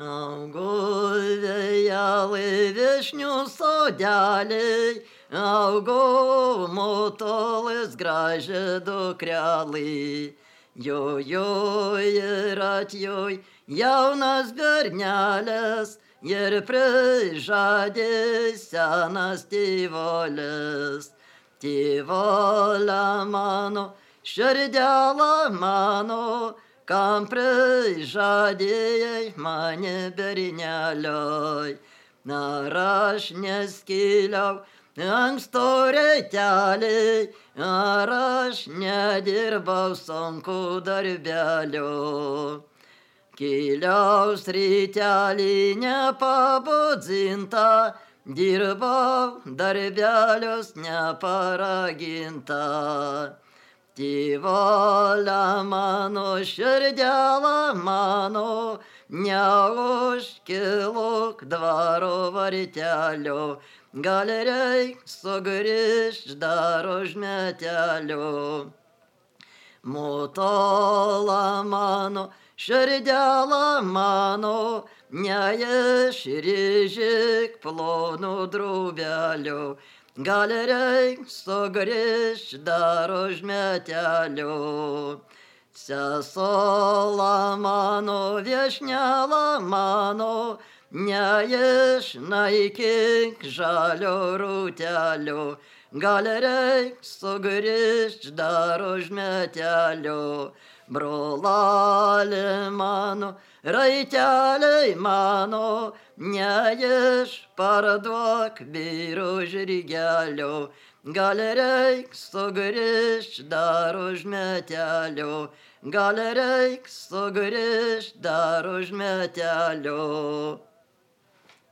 Augo vėjalai viešnių sodeliai, augo motolis gražią dukrelį. Jojoj ir atjoj jaunas bernelis ir prižadė senas tėvolis. Tėvolė mano, širdelė mano, kam prižadėjai mane bernelioj. Ar aš neskiliau anksto rytelį, ar aš nedirbau sunku darbelio. Kiliaus rytelį nepabudzinta, dirbau darbelius neparaginta. Tėvolė mano, širdelė mano, neužkiluk dvaro vartelio, gal reik sugrįžt dar už metelio. Motola mano, širdelė mano, neišryžyk plonų drūbelio, gal reik sugrįžt dar už metelio. Sesuola mano, viešnelė mano, neišnaikink žalio rūtelio, gal reik sugrįžt dar už metelio. Brolali mano, raiteliai mano, neišparduok vyro žirgelio, gal reik sugrįžt dar už metelio, gal reik sugrįžt dar už metelio.